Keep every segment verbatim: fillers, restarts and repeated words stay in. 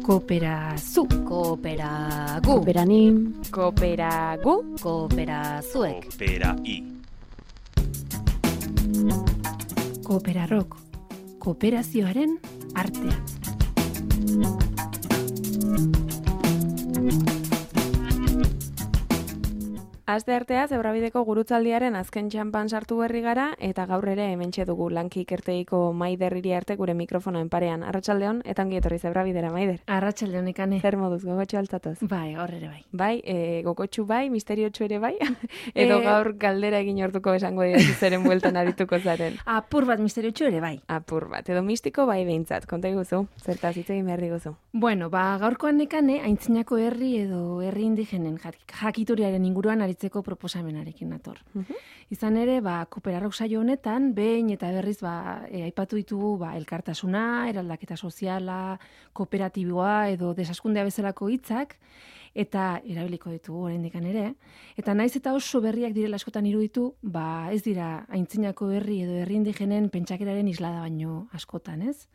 Kooperazu, Kooperagu, kooperanim, Kooperagu, Kooperazuek, Koopera-i. Kooperarrok, kooperazioaren artea. Aste artea Zebrabideko gurutzaldiaren azken txanpan sartu berri gara eta gaur ere hementxe dugu Lanki ikertegiko Maider Iriarte gure mikrofonoen parean. Arratsaldeon eta ongi etorri Zebrabidera, Maider. Arratsaldeon Nekane. Zer moduz, gogotxu altatoz? Bai, hor ere bai. Bai, e, gogotxu bai, misteriotxu ere bai, edo E- gaur galdera egin orduko esango dira zeren bueltan arituko zaren. Apur bat misteriotxu ere bai. Apur bat, edo mistiko bai behintzat, konta iguzu, zertaz hitz egin behar diguzu. Bueno, ba, gaurkoan Nekane, aintzinako herri edo herri indigenen jak- jakituriaren inguruan aritzeko proposamenarekin nator. Izan ere, ba, Kooperarrok saio honetan, behin eta berriz ba, e, aipatu ditugu ba, elkartasuna, eraldaketa soziala, kooperatiboa edo desaskundea bezalako hitzak, eta erabiliko ditugu oraindikan ere. Eta naiz eta oso berriak direla askotan iruditu, ba, ez dira aintzinako herri edo herri indigenen pentsakeraren islada baino askotan, ez?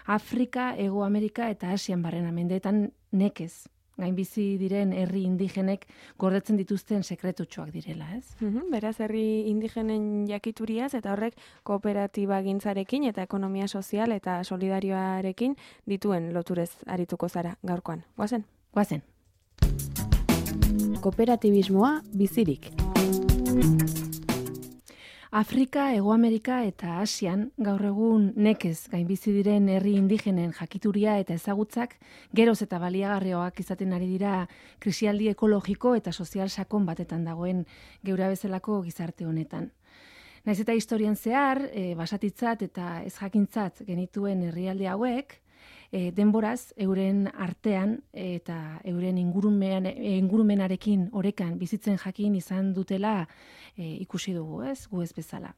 Afrika, Hego Amerika eta Asian barrena mendeetan nekez gainbizi diren herri indigenek gordetzen dituzten sekretutxoak direla, ez? Mhm, beraz, herri indigenen jakituriaz eta horrek kooperatiba gintzarekin eta ekonomia sozial eta solidarioarekin dituen loturez arituko zara gaurkoan. Guazen? Goazen. Kooperatibismoa bizirik. Afrika, Hego Amerika eta Asian gaur egun nekez gainbizi diren herri indigenen jakituria eta ezagutzak geroz eta baliagarrioak izaten ari dira krisialdi ekologiko eta sozial sakon batetan dagoen geura bezalako gizarte honetan. Naiz eta historian zehar, e, basatitzat eta ez jakintzat genituen herrialde hauek, e, denboraz euren artean eta euren ingurumean, e, ingurumenarekin orekan bizitzen jakin izan dutela e, ikusi dugu, ez, gu ez bezala.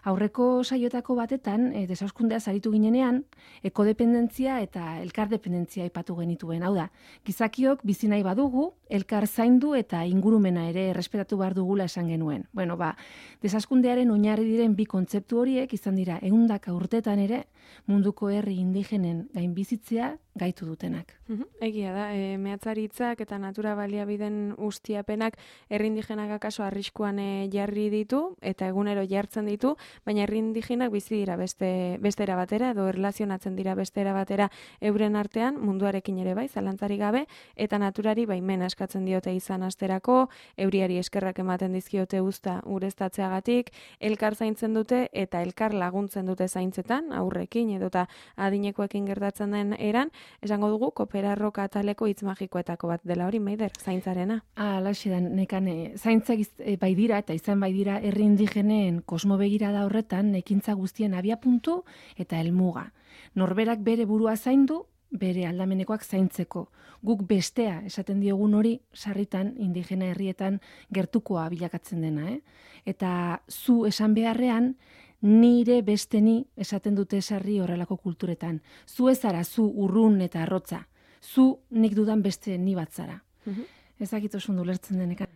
Aurreko saioetako batetan, e, desauskundeaz aritu ginenean, ekodependentzia eta elkardependentzia aipatu genituen. Hau da, gizakiok bizi nahi badugu, elkar zaindu eta ingurumena ere errespetatu behar dugula esan genuen. Bueno, ba, desaskundearen oinarri diren bi kontzeptu horiek izan dira ehundaka urtetan ere munduko herri indigenen gainbizitzea gaitu dutenak. Mhm, egia da, e, mehatzaritzak eta natura baliabideen ustiapenak herri indigenak akaso arriskuan e, jarri ditu eta egunero jartzen ditu, baina herri indigenak bizi dira beste bestera batera edo erlazionatzen dira bestera batera euren artean munduarekin ere bai, zalantzarik gabe, eta naturari baimena eskatzen diote izan asterako, euriari eskerrak ematen dizkiote uzta ureztatzeagatik, elkar zaintzen dute eta elkar laguntzen dute zaintzetan, aurrekin edota adinekoekin gertatzen den eran, esango dugu Kooperarrok ataleko hitz magikoetako bat dela hori, Maider, zaintzarena. Alaxe da, Nekane, zaintzak iz- e, bai dira eta izan bai dira herri indigenen kosmobegirada horretan ekintza guztien abiapuntu eta helmuga. Norberak bere burua zaindu, bere aldamenekoak zaintzeko. Guk bestea esaten diogun hori sarritan indigena herrietan gertukoa bilakatzen dena, eh? Eta zu esan beharrean nire beste ni esaten dute sarri horrelako kulturetan. Zu ez zara zu urrun eta arrotza. Zu nik dudan beste ni bat zara. Mhm. Ez dakit oso ondo ulertzen denekan.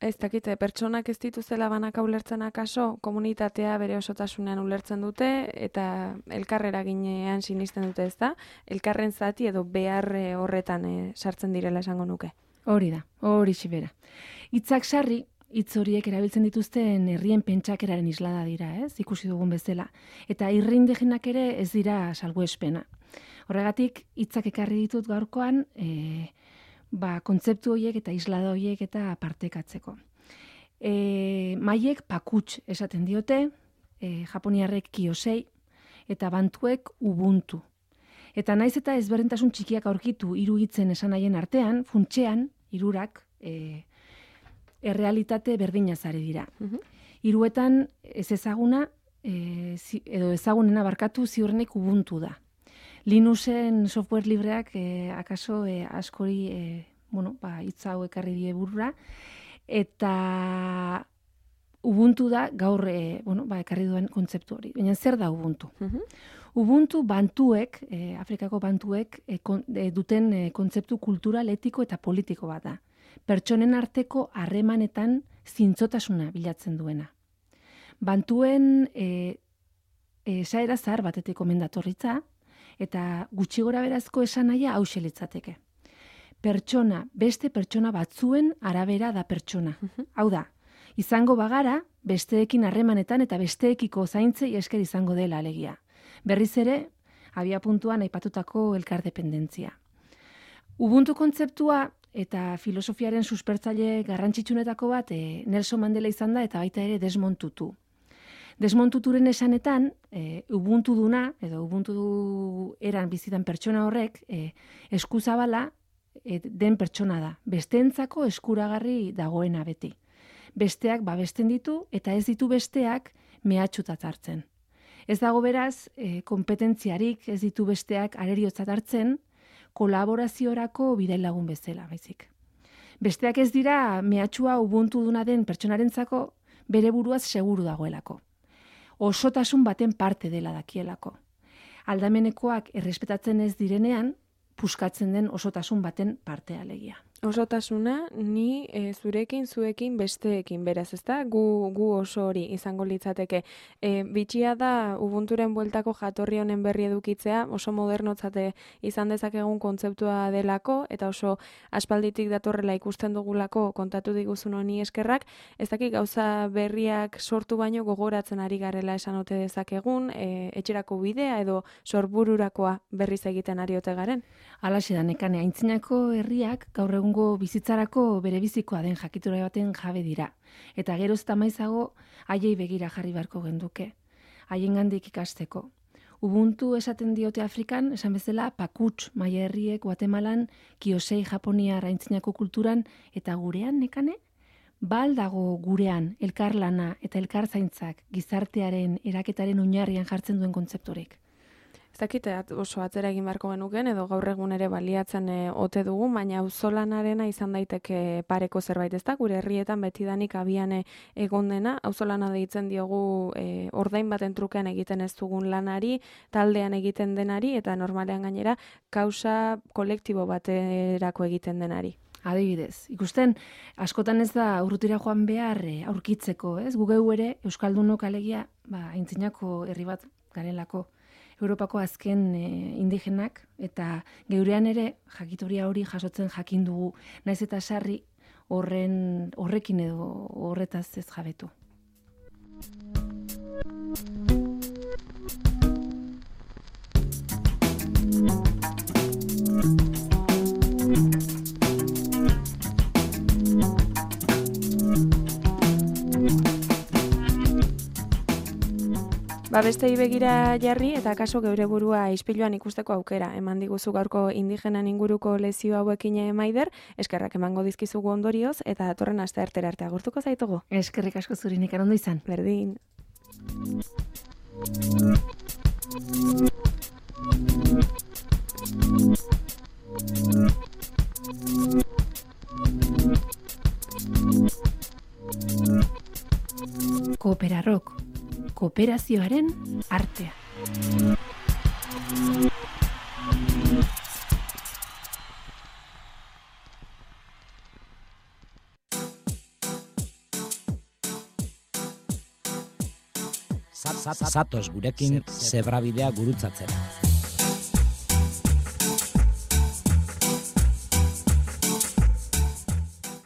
Ez dakite, pertsonak ez dituzela banaka ulertzen akaso, komunitatea bere osotasunean ulertzen dute eta elkarrera ginean sinisten dute, ez da? Elkarren zati edo behar eh, horretan eh, sartzen direla esango nuke. Hori da, hori xibera. Hitzak sarri, hitz horiek erabiltzen dituzten herrien pentsakeraren islada dira, ez? Ikusi dugun bezala. Eta herri indigenak ere ez dira salbuespena. Horregatik, hitzak ekarri ditut gaurkoan, e, ba, kontzeptu horiek eta islada horiek eta partekatzeko. E, maiek pakuts esaten diote, e, japoniarrek kiosei, eta bantuek ubuntu. Eta naiz eta ezberdintasun txikiak aurkitu hiru hitzen esanahien artean, funtsean, hirurak e, errealitate berdinaz ari dira. Mhm. Hiruetan ez ezaguna, e, zi, edo ezagunena barkatu ziurrenik ubuntu da. Linuxen software libreak e, akaso e, askori e, bueno, ba, hitz hau ekarri die burura, eta ubuntu da gaur e, bueno, ba, ekarri duen kontzeptu hori. Baina zer da ubuntu? Mhm. Ubuntu bantuek, e, Afrikako bantuek e, kon, e, duten e, kontzeptu kultural, etiko eta politiko bat da. Pertsonen arteko harremanetan zintzotasuna bilatzen duena. Bantuen e, esaera zahar batetik omen datorritza, Eta gutxi gora berazko esan nahia hause litzateke. Pertsona, beste pertsona batzuen arabera da pertsona. Hau da, izango bagara, besteekin harremanetan eta besteekiko zaintzei esker izango dela alegia. Berriz ere, abia puntuan aipatutako elkardependentzia. Ubuntu kontzeptua eta filosofiaren suspertzaile garrantzitsunetako bat e, Nelson Mandela izan da eta baita ere Desmond Tutu. Desmond Tuturen esanetan, e, Ubuntu duna, edo Ubuntu du eran bizitan pertsona horrek, e, eskuzabala e, den pertsona da. Besteentzako eskuragarri dagoena beti. Besteak babesten ditu eta ez ditu besteak mehatxutat hartzen. Ez dago beraz, e, kompetentziarik ez ditu besteak areriotzat hartzen, kolaboraziorako bidailagun bezala, baizik. Besteak ez dira mehatxua ubuntu duna den pertsonarentzako bere buruaz seguru dagoelako. Osotasun baten parte dela dakielako. Aldamenekoak errespetatzen ez direnean, puskatzen den osotasun baten parte alegia. Osotasuna ni e, zurekin, zuekin, besteekin beraz, ezta? Gu, gu oso hori izango litzateke. E, bitxia da Ubunturen bueltako jatorri honen berri edukitzea, oso modernotzate izan dezakegun kontzeptua delako, eta oso aspalditik datorrela ikusten dugulako kontatu diguzun honi eskerrak, ez dakik gauza berriak sortu baino gogoratzen ari garela esan ote dezakegun, e, etxerako bidea edo sorbururakoa berriz egiten ari ote garen. Halaxe da, Nekane, aintzinako herriak gaur egungo bizitzarako bere bizikoa den jakitura baten jabe dira. Eta geroz eta maizago haiei begira jarri beharko genduke. Haiengandik ikasteko. Ubuntu esaten diote Afrikan, esan bezala Pakuts maia herriek Guatemalan, Kiosei Japoniar aintzinako kulturan, eta gurean, Nekane? Bal dago gurean elkarlana eta elkarzaintzak gizartearen eraketaren oinarrian jartzen duen kontzeptorik. Ez dakit oso atzera egin beharko genuken edo gaur egun ere baliatzen e, ote dugu, baina auzolanarena izan daiteke pareko zerbait, ez da? Gure herrietan betidanik abian egon dena, auzolana deitzen diogu e, ordain baten trukean egiten ez dugun lanari, taldean egiten denari eta normalean gainera kausa kolektibo baterako egiten denari. Adibidez, ikusten askotan ez da urrutira joan behar e, aurkitzeko, ez? Gugeu ere Euskaldunok alegia, ba, aintzinako herri bat garelako. Europako azken e, indigenak eta geurean ere jakitoria hori jasotzen jakin dugu, naiz eta sarri horren horrekin edo horretaz ez jabetu. Ba, bestei begira jarri eta kaso geure burua ispiluan ikusteko aukera. Eman diguzu gaurko indigenan inguruko lezio hauekin Maider, eskerrak emango dizkizugu ondorioz eta datorren asteartera arte agurtuko zaitugu. Eskerrik asko zuri, Nekane, ondo izan. Berdin. Kooperarok. Kooperazioaren artea. Zatoz gurekin zebrabidea gurutzatzera.